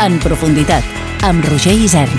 En profunditat, amb Roger Isern.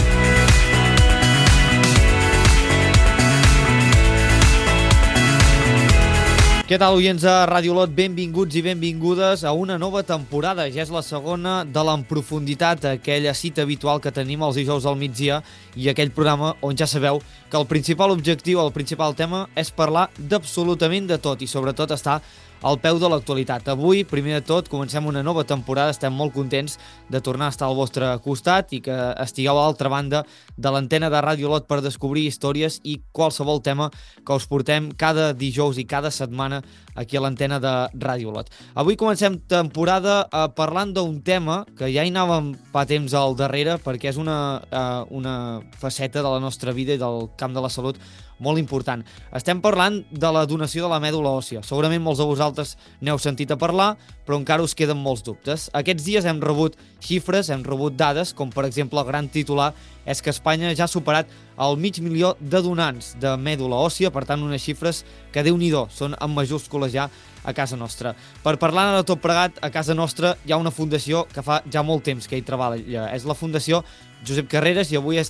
Què tal, oients de Ràdio Lot? Benvinguts i benvingudes a una nova temporada. Ja és la segona de l'En Profunditat, aquella cita habitual que tenim els dijous al migdia i aquell programa on ja sabeu que el principal objectiu, el principal tema és parlar d'absolutament de tot i sobretot estar al peu de l'actualitat. Avui, primer de tot, comencem una nova temporada. Estem molt contents de tornar a estar al vostre costat i que estigueu a l'altra banda de l'antena de Ràdio Lot per descobrir històries i qualsevol tema que us portem cada dijous i cada setmana aquí a l'antena de Ràdio Lot. Avui comencem temporada parlant d'un tema que ja hi anàvem fa temps al darrere perquè és una faceta de la nostra vida i del camp de la salut molt important. Estem parlant de la donació de la mèdula òssia. Segurament molts de vosaltres n'heu sentit a parlar, però encara us queden molts dubtes. Aquests dies hem rebut xifres, hem rebut dades, com per exemple el gran titular és que Espanya ja ha superat el 500.000 de donants de mèdula òssia, per tant unes xifres que Déu-n'hi-do, són en majúscules ja a casa nostra. Per parlar de tot plegat, a casa nostra hi ha una fundació que fa ja molt temps que hi treballa. És la Fundació Josep Carreras i avui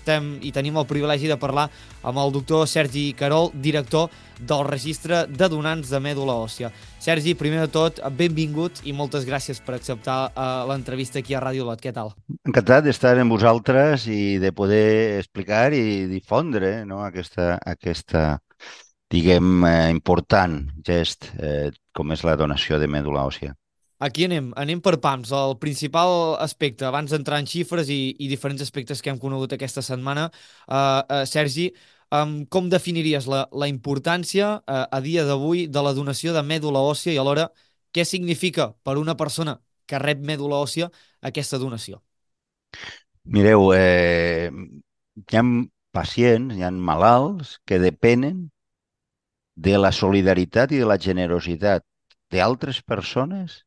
tenim el privilegi de parlar amb el doctor Sergi Querol, director del registre de donants de mèdula òssia. Sergi, primer de tot, benvingut i moltes gràcies per acceptar l'entrevista aquí a Ràdio Lot. Què tal? Encantat d'estar amb vosaltres i de poder explicar i difondre, no, aquesta diguem, important gest com és la donació de mèdula òssia. Aquí anem per pams. El principal aspecte, abans d'entrar en xifres i diferents aspectes que hem conegut aquesta setmana, Sergi, com definiries la importància a dia d'avui de la donació de mèdula òssia i alhora què significa per una persona que rep mèdula òssia aquesta donació? Mireu, hi ha pacients, hi ha malalts que depenen de la solidaritat i de la generositat d'altres persones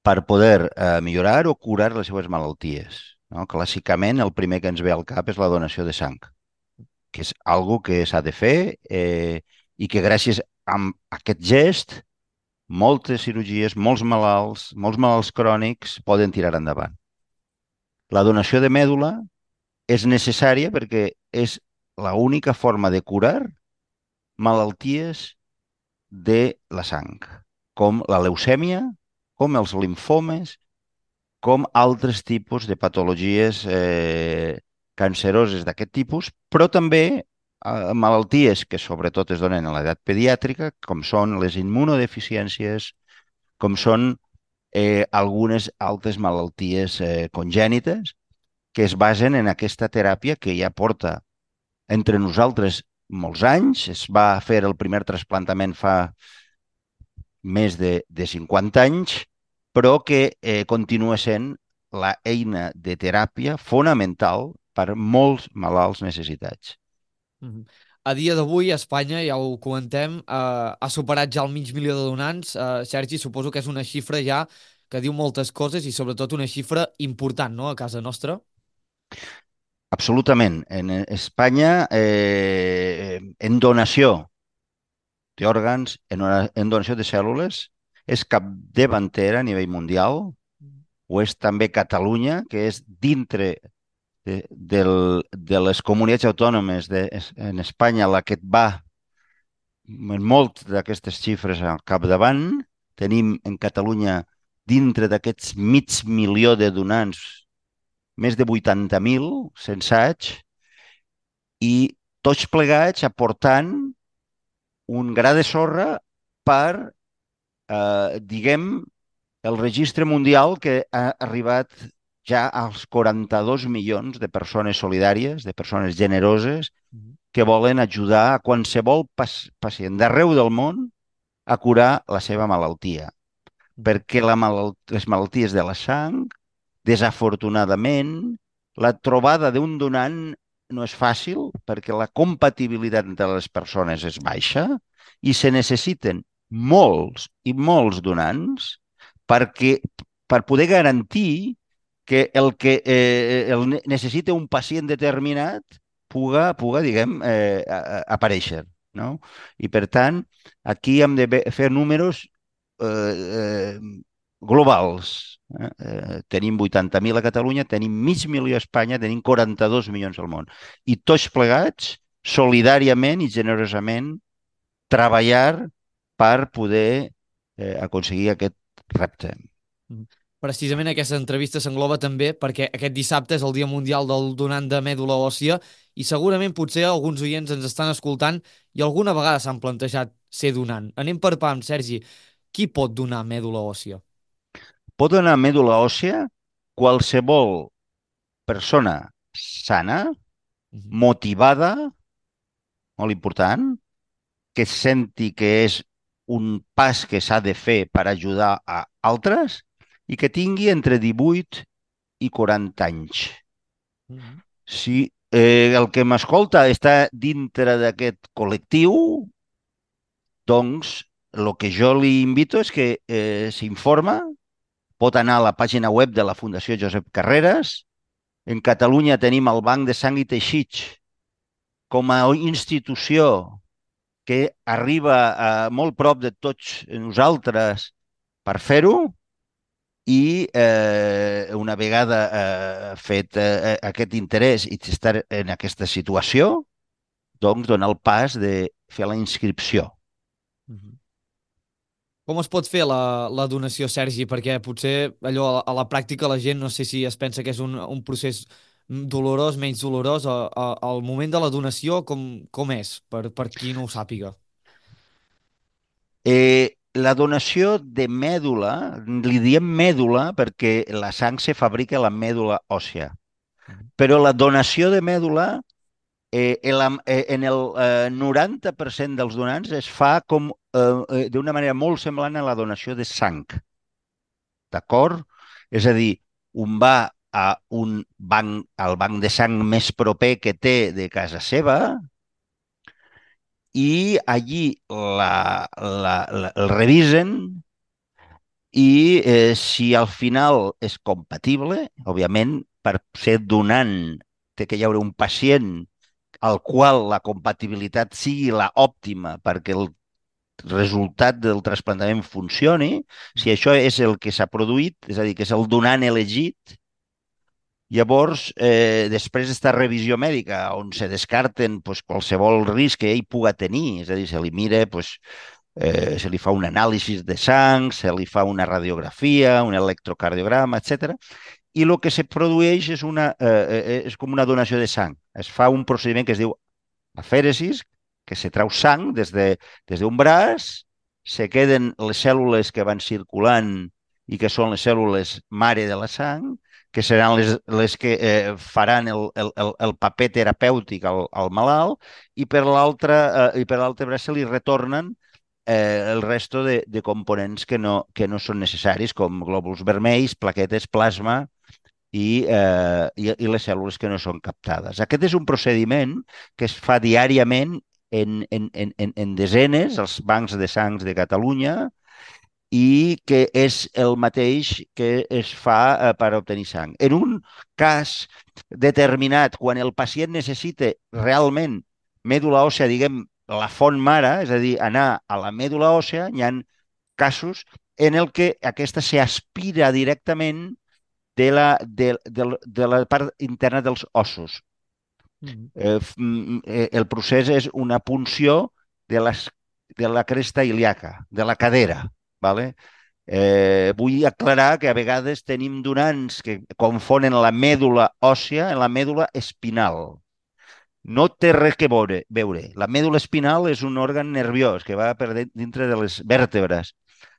per poder millorar o curar les seves malalties. No? Clàssicament, el primer que ens ve al cap és la donació de sang, que és algo que s'ha de fer i que gràcies a aquest gest moltes cirurgies, molts malalts crònics poden tirar endavant. La donació de mèdula és necessària perquè és l'única forma de curar malalties de la sang, com la leucèmia, com els limfomes, com altres tipus de patologies canceroses d'aquest tipus, però també malalties que sobretot es donen a l'edat pediàtrica, com són les immunodeficiències, com són algunes altres malalties congènites que es basen en aquesta teràpia que ja porta entre nosaltres molts anys. Es va fer el primer trasplantament fa més de 50 anys, però que continua sent la eina de teràpia fonamental per molts malalts necessitats. A dia d'avui, Espanya, ja ho comentem, ha superat ja el 500.000 de donants. Sergi, suposo que és una xifra ja que diu moltes coses i sobretot una xifra important, no?, a casa nostra. Absolutament. En Espanya, en donació d'òrgans, en donació de cèl·lules, és capdavantera a nivell mundial. Ho és també Catalunya, que és dintre de les comunitats autònomes en Espanya la que va en molt d'aquestes xifres al capdavant. Tenim en Catalunya, dintre d'aquests 500.000 de donants, més de 80.000 censats, i tots plegats aportant un gra de sorra per, diguem, el registre mundial que ha arribat ja als 42 milions de persones solidàries, de persones generoses, que volen ajudar a qualsevol pacient d'arreu del món a curar la seva malaltia. Perquè les malalties de la sang, desafortunadament, la trobada d'un donant no és fàcil perquè la compatibilitat entre les persones és baixa i se necessiten molts i molts donants per poder garantir que el que necessita un pacient determinat puga diguem, aparèixer. No? I, per tant, aquí hem de fer números globals. Tenim 80.000 a Catalunya, tenim mig milió a Espanya, tenim 42 milions al món. I tots plegats, solidàriament i generosament, treballar per poder aconseguir aquest repte. Mm. Precisament aquesta entrevista s'engloba també perquè aquest dissabte és el Dia Mundial del Donant de Mèdula Òssia i segurament potser alguns oients ens estan escoltant i alguna vegada s'han plantejat ser donant. Anem per pam, Sergi. Qui pot donar mèdula òssia? Pot donar mèdula òssia qualsevol persona sana, Mhm. motivada, molt important, que senti que és un pas que s'ha de fer per ajudar a altres i que tingui entre 18 i 40 anys. Mhm. Si el que m'escolta està dintre d'aquest col·lectiu, doncs el que jo li invito és que s'informa, pot anar a la pàgina web de la Fundació Josep Carreras. En Catalunya tenim el Banc de Sang i Teixits com a institució que arriba molt prop de tots nosaltres per fer-ho i una vegada fet aquest interès i estar en aquesta situació, doncs donar el pas de fer la inscripció. Mhm. Com es pot fer la donació, Sergi? Perquè potser allò a la pràctica la gent no sé si es pensa que és un procés dolorós, menys dolorós. Al moment de la donació, com és? Per qui no ho sàpiga. La donació de mèdula, li diem mèdula perquè la sang se fabrica a la mèdula òssia, Mhm. però la donació de mèdula en el 90% dels donants es fa d'una manera molt semblant a la donació de sang, d'acord? És a dir, un va a al banc de sang més proper que té de casa seva i allí el revisen i si al final és compatible, òbviament, per ser donant té que hi haure un pacient al qual la compatibilitat sigui la òptima perquè el resultat del trasplantament funcioni, si Mhm. això és el que s'ha produït, és a dir, que és el donant elegit, llavors després d'esta revisió mèdica on se descarten pues, qualsevol risc que ell puga tenir, és a dir, se li mira pues, se li fa un anàlisi de sang, se li fa una radiografia, un electrocardiograma, etc. I el que se produeix és com una donació de sang. Es fa un procediment que es diu afèresis, que se trau sang des d'un braç, se queden les cèl·lules que van circulant i que són les cèl·lules mare de la sang, que seran les que faran el paper terapèutic al malalt, i per l'altre braç se li retornen el resto de components que no són necessaris, com glòbuls vermells, plaquetes, plasma i les cèl·lules que no són captades. Aquest és un procediment que es fa diàriament en desenes, als bancs de sangs de Catalunya, i que és el mateix que es fa per obtenir sang. En un cas determinat, quan el pacient necessita realment mèdula òssea, diguem, la font mare, és a dir, anar a la mèdula òssea, hi ha casos en el que aquesta s'aspira directament de la part interna dels ossos. Mhm. El procés és una punció de la cresta ilíaca, de la cadera. ¿Vale? Vull aclarar que a vegades tenim donants que confonen la mèdula òssia en la mèdula espinal. No té res que veure. La mèdula espinal és un òrgan nerviós que va per dintre de les vèrtebres.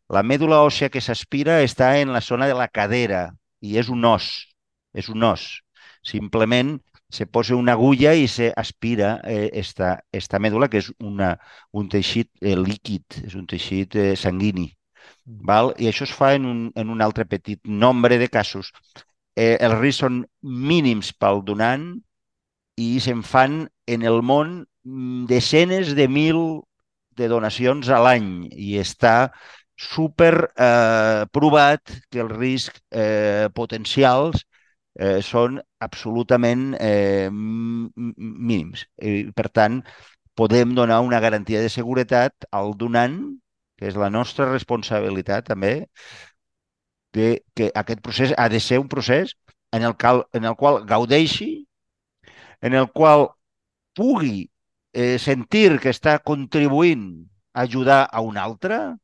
La mèdula òssia que s'aspira està en la zona de la cadera i és un os. És un os. Simplement se posa una agulla i se aspira esta mèdula, que és un teixit líquid, és un teixit sanguini. Mhm. Val? I això es fa en un altre petit nombre de casos. Els riscs són mínims pel donant i se'n fan en el món desenes de mil de donacions a l'any i està super provat que els riscs potencials són absolutament mínims. I, per tant, podem donar una garantia de seguretat al donant, que és la nostra responsabilitat també, que aquest procés ha de ser un procés en el qual gaudeixi, en el qual pugui sentir que està contribuint a ajudar a un altre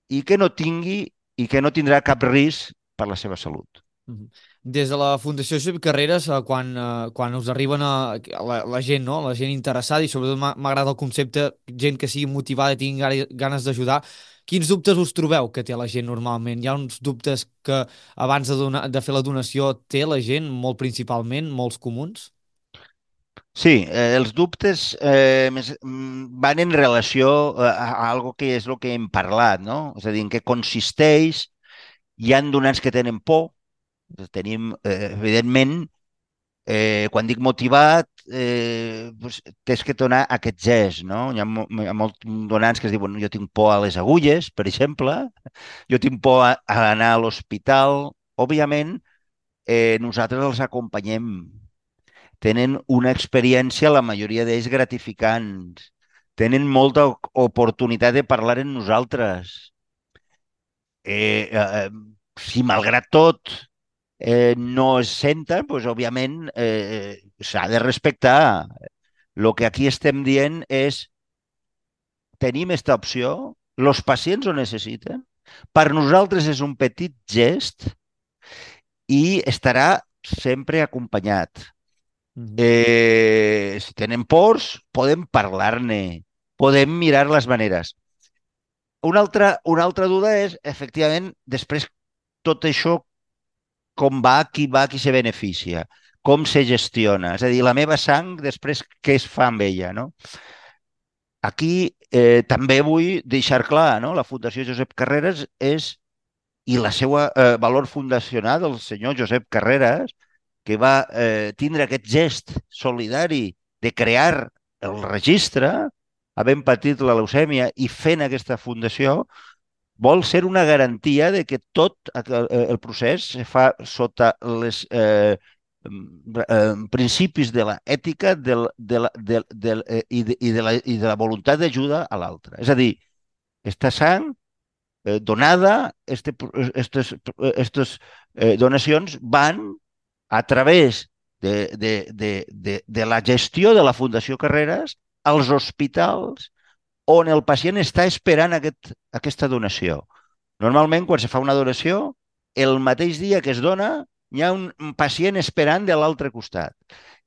i que no tindrà cap risc per la seva salut. Mhm. Des de la Fundació Josep Carreras, quan us arriben la gent, no? La gent interessada, i sobretot m'agrada el concepte, gent que sigui motivada i tingui ganes d'ajudar, quins dubtes us trobeu que té la gent normalment? Hi ha uns dubtes que abans de fer la donació té la gent, molt principalment, molts comuns? Sí, els dubtes van en relació a algo que és el que hem parlat, no? És a dir, en què consisteix. Hi han donants que tenen por. Tenim, evidentment, quan dic motivat, doncs, tens que donar aquest gest, no? Hi ha molts donants que es diuen jo tinc por a les agulles, per exemple, jo tinc por a anar a l'hospital. Òbviament, nosaltres els acompanyem. Tenen una experiència, la majoria d'ells, gratificants. Tenen molta oportunitat de parlar amb nosaltres. Eh, eh, eh, si malgrat tot no es senten, doncs, òbviament, s'ha de respectar. El que aquí estem dient és tenim aquesta opció, els pacients ho necessiten, per nosaltres és un petit gest i estarà sempre acompanyat. Mhm. Si tenen pors, podem parlar-ne, podem mirar les maneres. Una altra duda és, efectivament, després tot això, com va, qui se beneficia, com se gestiona. És a dir, la meva sang, després què es fa amb ella, no? Aquí també vull deixar clar, no? La Fundació Josep Carreras és, i la seva valor fundacional del senyor Josep Carreras, que va tindre aquest gest solidari de crear el registre, havent patit la leucèmia i fent aquesta fundació, vol ser una garantia de que tot el procés se fa sota les principis de l'ètica i de la voluntat d'ajuda a l'altre. És a dir, aquesta sang donada, donacions van a través de la gestió de la Fundació Carreras als hospitals on el pacient està esperant aquesta donació. Normalment, quan se fa una donació, el mateix dia que es dona, hi ha un pacient esperant de l'altre costat.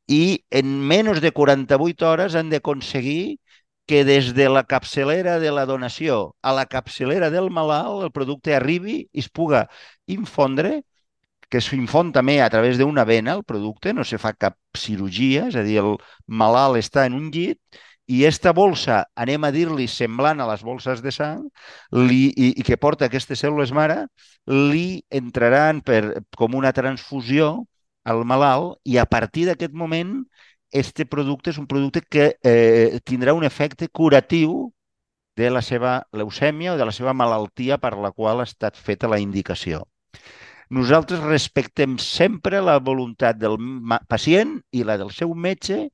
I en menys de 48 hores han d'aconseguir que des de la capçalera de la donació a la capçalera del malalt el producte arribi i es puga infondre, que s'infon també a través d'una vena, el producte, no se fa cap cirurgia, és a dir, el malalt està en un llit i aquesta bolsa, anem a dir-li semblant a les bolses de sang, i que porta aquestes cèl·lules mare, li entraran com una transfusió al malalt i a partir d'aquest moment este producte és un producte que tindrà un efecte curatiu de la seva leucèmia o de la seva malaltia per la qual ha estat feta la indicació. Nosaltres respectem sempre la voluntat del pacient i la del seu metge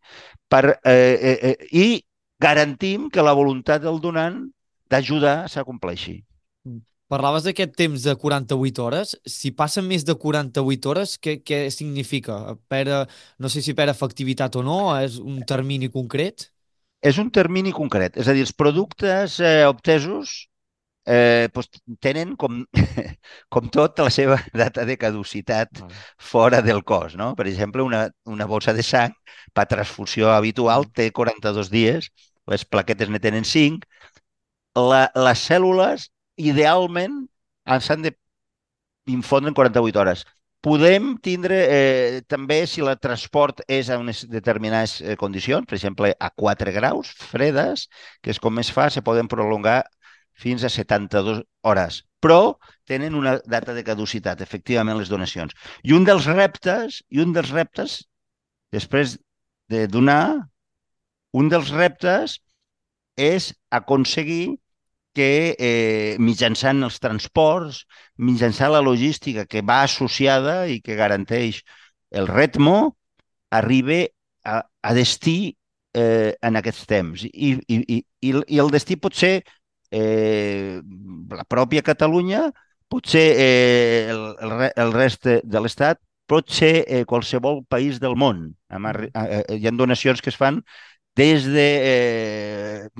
i garantim que la voluntat del donant d'ajudar s'acompleixi. Parlaves d'aquest temps de 48 hores. Si passen més de 48 hores, què significa? No sé si perd efectivitat o no, és un termini concret? És un termini concret. És a dir, els productes obtesos doncs tenen, com tot, la seva data de caducitat fora del cos. No? Per exemple, una bossa de sang per transfusió habitual té 42 dies, les plaquetes ne tenen 5. Les cèl·lules, idealment, s'han d'infondre en 48 hores. Podem tindre també, si el transport és a unes determinades condicions, per exemple, a 4 graus fredes, que és com es fa, se poden prolongar fins a 72 hores. Però tenen una data de caducitat, efectivament, les donacions. I un dels reptes, després de donar, un dels reptes és aconseguir que mitjançant els transports, mitjançant la logística que va associada i que garanteix el ritme, arribi a destí en aquests temps. I el destí pot ser la pròpia Catalunya, pot ser el rest de l'Estat, pot ser qualsevol país del món. Hi ha donacions que es fan des de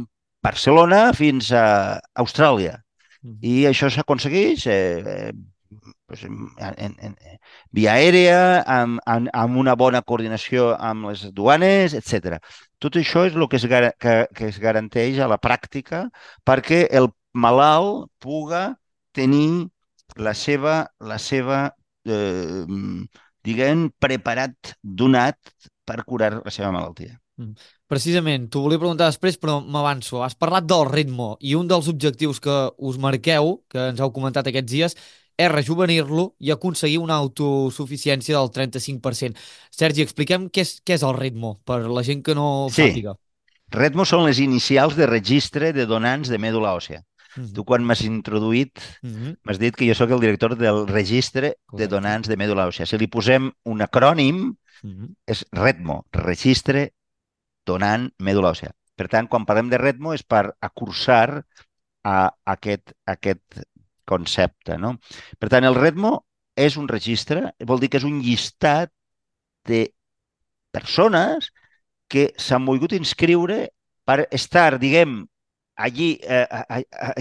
Barcelona fins a Austràlia. I això s'aconsegueix pues, via aèria, amb una bona coordinació amb les duanes, etc. Tot això és el que es garanteix a la pràctica perquè el malalt puga tenir la seva diguem, preparat, donat per curar la seva malaltia. Precisament, t'ho volia preguntar després, però m'avanço. Has parlat del ritme i un dels objectius que us marqueu, que ens heu comentat aquests dies, és rejuvenir-lo i aconseguir una autosuficiència del 35%. Sergi, expliquem què és el ritme, per la gent que no ho Sí, sàpiga. REDMO són les inicials de registre de donants de mèdula òssia. Tu, quan m'has introduït, m'has dit que jo sóc el director del registre de donants de mèdula òssia. Si li posem un acrònim, és REDMO, Registre Donant Mèdula Òssia. Per tant, quan parlem de REDMO és per acursar a aquest concepte. No? Per tant, el REDMO és un registre, vol dir que és un llistat de persones que s'han volgut inscriure per estar, diguem, allí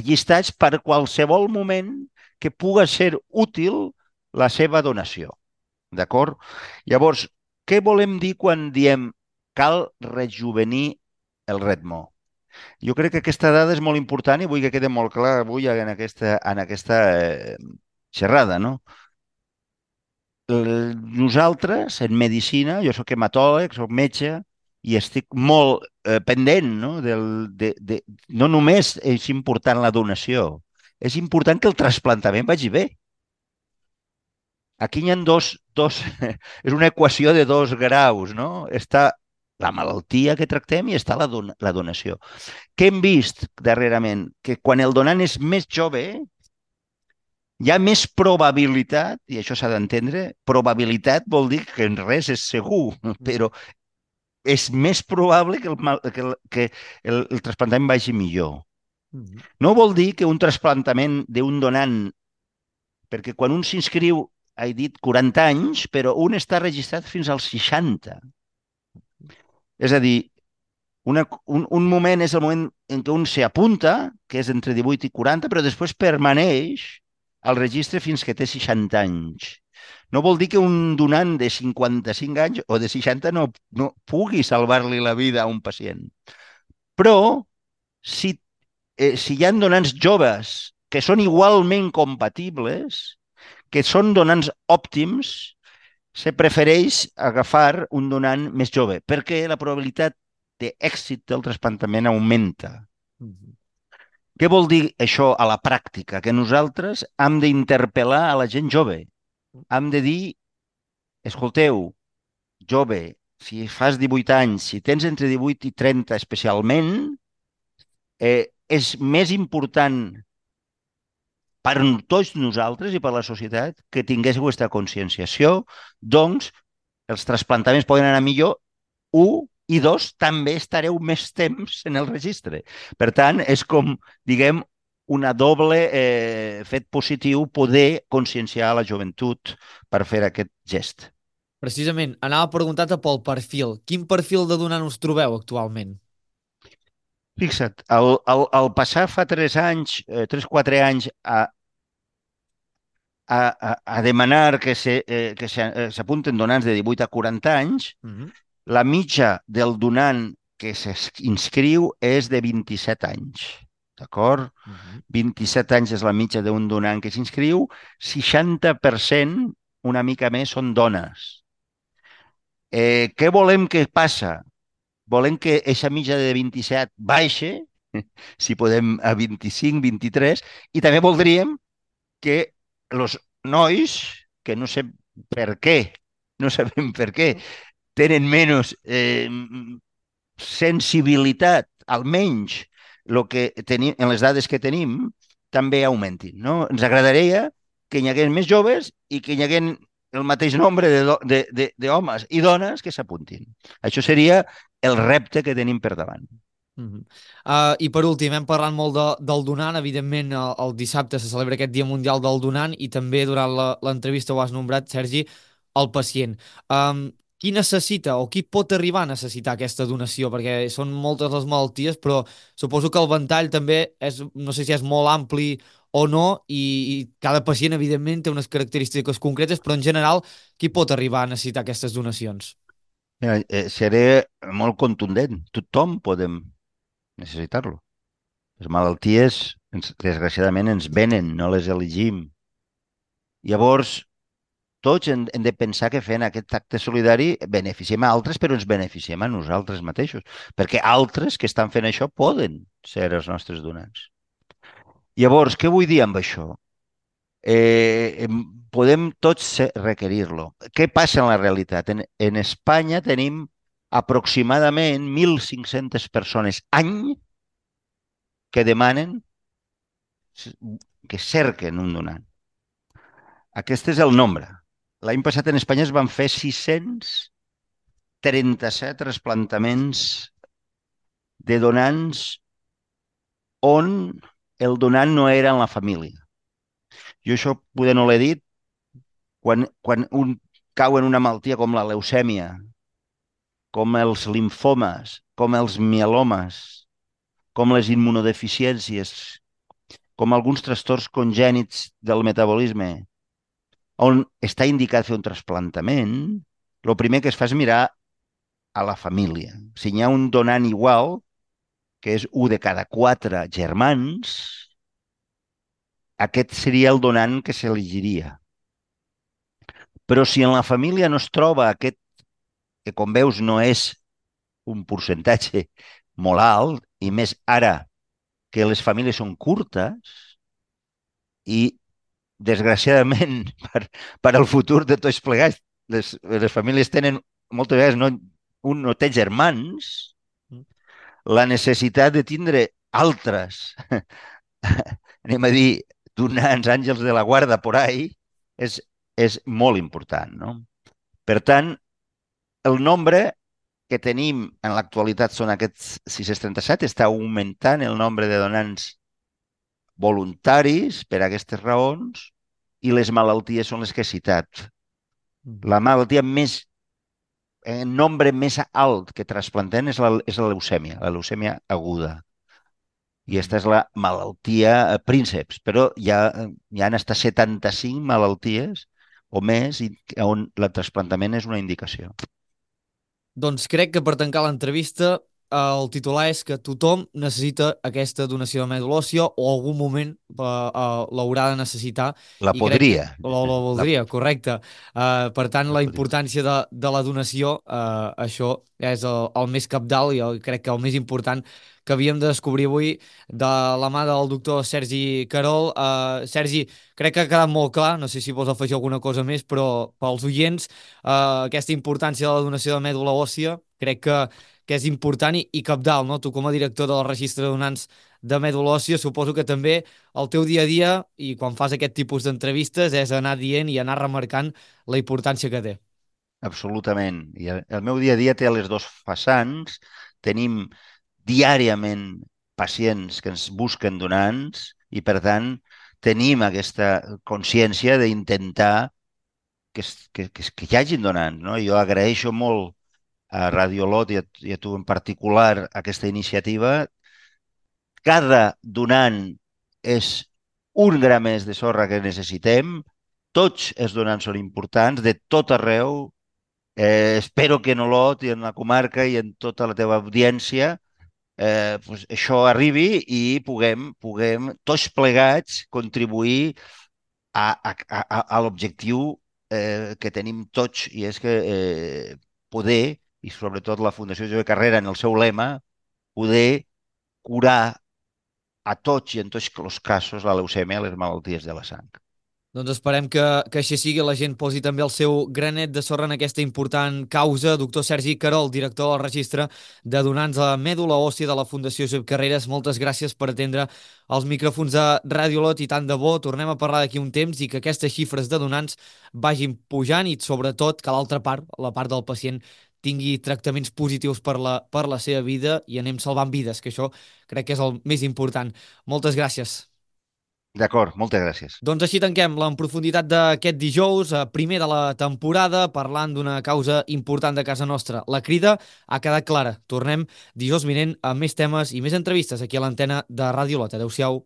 llistats per qualsevol moment que puga ser útil la seva donació. D'acord? Llavors, què volem dir quan diem cal rejuvenir el REDMO? Jo crec que aquesta dada és molt important i vull que quede molt clar avui en aquesta xerrada, no? Nosaltres, en medicina, jo sóc hematòleg, sóc metge, i estic molt pendent, no? No només és important la donació, és important que el trasplantament vagi bé. Aquí hi ha és una equació de dos graus, no? Està la malaltia que tractem i està la donació. Què hem vist darrerament? Que quan el donant és més jove, hi ha més probabilitat, i això s'ha d'entendre, probabilitat vol dir que en res és segur, però és més probable que el trasplantament vagi millor. No vol dir que un trasplantament d'un donant, perquè quan un s'inscriu, he dit 40 anys, però un està registrat fins als 60. És a dir, un moment és el moment en què un s'apunta, que és entre 18 i 40, però després permaneix al registre fins que té 60 anys. No vol dir que un donant de 55 anys o de 60 no pugui salvar-li la vida a un pacient. Però, si hi ha donants joves que són igualment compatibles, que són donants òptims, se prefereix agafar un donant més jove, perquè la probabilitat d'èxit del trasplantament augmenta. Què vol dir això a la pràctica? Que nosaltres hem d'interpel·lar a la gent jove. Hem de dir, escolteu, jove, si fas 18 anys, si tens entre 18 i 30 especialment, és més important per tots nosaltres i per la societat que tinguéssiu aquesta conscienciació, doncs els trasplantaments poden anar millor, i dos, també estareu més temps en el registre. Per tant, és com, diguem, una doble fet positiu poder conscienciar la joventut per fer aquest gest. Precisament, anava a preguntar-te pel perfil. Quin perfil de donant us trobeu actualment? Fixa't, al passar fa 3-4 anys a demanar que s'apunten donants de 18 a 40 anys, la mitja del donant que s'inscriu és de 27 anys. D'acord? 27 anys és la mitja d'un donant que s'inscriu, 60%, una mica més, són dones. Què volem que passa? Volem que aquesta mitja de 27 baixe, si podem a 25, 23, i també voldríem que els nois, que no sé per què, no sabem per què, tenen menys sensibilitat, almenys el que tenim, en les dades que tenim, també augmentin. No? Ens agradaria que hi hagués més joves i que hi hagués el mateix nombre d'homes i dones que s'apuntin. Això seria el repte que tenim per davant. Mhm. I per últim, hem parlat molt del donant, evidentment el dissabte se celebra aquest Dia Mundial del Donant i també durant l'entrevista ho has nombrat, Sergi, el pacient. Qui necessita o qui pot arribar a necessitar aquesta donació? Perquè són moltes les malalties, però suposo que el ventall també és, no sé si és molt ampli o no, i cada pacient, evidentment, té unes característiques concretes, però en general, qui pot arribar a necessitar aquestes donacions? Mira, seré molt contundent. Tothom podem necessitar-lo. Les malalties, desgraciadament, ens venen, no les elegim. Llavors, tots hem de pensar que fent aquest acte solidari beneficiem a altres, però ens beneficiem a nosaltres mateixos, perquè altres que estan fent això poden ser els nostres donants. Llavors, què vull dir amb això? Podem tots requerir-lo. Què passa en la realitat? En Espanya tenim aproximadament 1.500 persones any que demanen, que cerquen un donant. Aquest és el nombre. L'any passat en Espanya es van fer 637 trasplantaments de donants on el donant no era en la família. Jo això poder no l'he dit, quan un cau en una malaltia com la leucèmia, com els limfomes, com els mielomes, com les immunodeficiències, com alguns trastorns congènits del metabolisme, on està indicat fer un trasplantament, el primer que es fa és mirar a la família. Si hi ha un donant igual, que és un de cada quatre germans, aquest seria el donant que s'elegiria. Però si en la família no es troba aquest, que com veus no és un percentatge molt alt, i més ara que les famílies són curtes i, desgraciadament, per al futur de tots plegats, les famílies tenen, moltes vegades un no té germans, la necessitat de tindre altres, anem a dir, donants, àngels de la guarda por ahí, és, és molt important, no? Per tant, el nombre que tenim en l'actualitat són aquests 637, està augmentant el nombre de donants voluntaris per a aquestes raons i les malalties són les que he citat. La malaltia més, en nombre més alt que trasplantem és la leucèmia aguda. I aquesta és la malaltia prínceps, però hi han hasta 75 malalties o més on el trasplantament és una indicació. Doncs crec que per tancar l'entrevista el titular és que tothom necessita aquesta donació de medul·la òssia o algun moment l'haurà de necessitar La i crec que podria. la voldria, correcte. Per tant, La la podria. importància de la donació, això és el més cabdal i crec que el més important que havíem de descobrir avui de la mà del doctor Sergi Querol. Sergi, crec que ha quedat molt clar, no sé si vols afegir alguna cosa més, però pels oients aquesta importància de la donació de mèdula òssia crec que és important i cabdal, no? Tu com a director del registre de donants de mèdula òssia suposo que també el teu dia a dia i quan fas aquest tipus d'entrevistes és anar dient i anar remarcant la importància que té. Absolutament. I el meu dia a dia té les dos vessants. Tenim diàriament pacients que ens busquen donants i, per tant, tenim aquesta consciència d'intentar que hi hagin donants. No? Jo agraeixo molt a Radiolot i a tu en particular aquesta iniciativa. Cada donant és un gra més de sorra que necessitem. Tots els donants són importants, de tot arreu. Espero que en Olot i en la comarca i en tota la teva audiència pues això arribi i puguem tots plegats contribuir a l'objectiu que tenim tots, i és que poder, i sobretot la Fundació Jove Carrera en el seu lema, poder curar a tots i en tots els casos la leucèmia, les malalties de la sang. Doncs esperem que així sigui, la gent posi també el seu granet de sorra en aquesta important causa. Doctor Sergi Querol, director del registre de donants a mèdula òssia de la Fundació Josep Carreras, moltes gràcies per atendre els micròfons de Ràdio Lot i tant de bo. Tornem a parlar d'aquí un temps i que aquestes xifres de donants vagin pujant i sobretot que l'altra part, la part del pacient, tingui tractaments positius per la seva vida i anem salvant vides, que això crec que és el més important. Moltes gràcies. D'acord, moltes gràcies. Doncs així tanquem la en profunditat d'aquest dijous, primer de la temporada, parlant d'una causa important de casa nostra. La Crida ha quedat clara. Tornem dijous vinent amb més temes i més entrevistes aquí a l'antena de Ràdio Lot. Adéu-siau.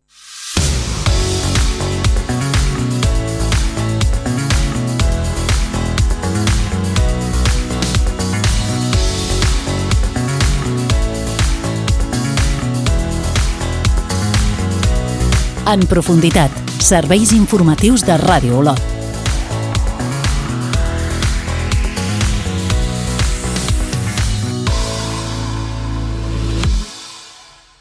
En profunditat, serveis informatius de Ràdio Olot.